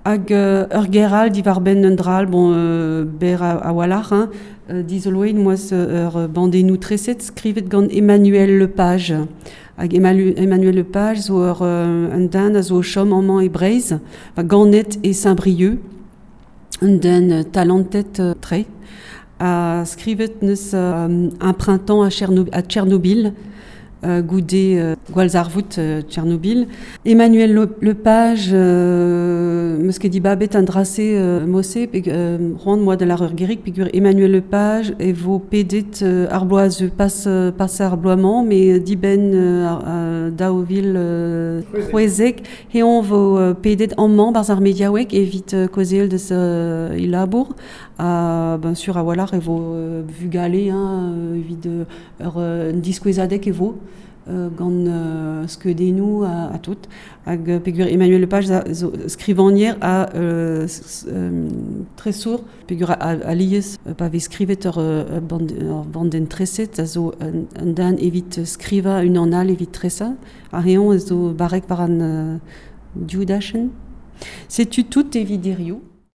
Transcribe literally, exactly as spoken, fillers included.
Hag euh, ur geral diwar benn un dral, bon, euh, ber a, a walc'h, hein, euh, dizoloet moaz ur bandennoù treset skrivet gant Emmanuel Lepage. Hag Emmanuel Lepage zo ur euh, un den a zo o chom amañ e Breizh, va ganet e Saint-Brieuc, un den talentet euh, tre, a skrivet neus euh, un printemps à, Tcherno à Tchernobyl, euh, goude euh, gwallzarvoud euh, Tchernobyl. Emmanuel Le Lepage, euh, meus ket dibabet an dra-se euh, mose, pe euh, c'hoant moa da lar ur gerig, peogwir Emmanuel Lepage e vo pedet euh, ar bloaz pas, euh, pas ar bloaz-mañ, met dibenn euh, ar, daou vil euh, c'hwezek, heon vo euh, pedet amañ barzh ar mediaoueg evit euh, kaozeal deus euh, e labour, ha ben sur a-walc'h e vo euh, vugale hein, evit euh, ur euh, diskouezadeg e vo euh, gant euh, skeudennoù ha, ha tout. Hag euh, peogwir Emmanuel Lepage a, zo skrivagner ha euh, euh, tresour, peogwir alies euh, pa vez skrivet ur, ur, band, ur bandenn treset a zo un, un den evit skrivañ unan all evit tresañ, ha heon a zo barrek war an euh, div dachenn. Setu tout evit hiziv.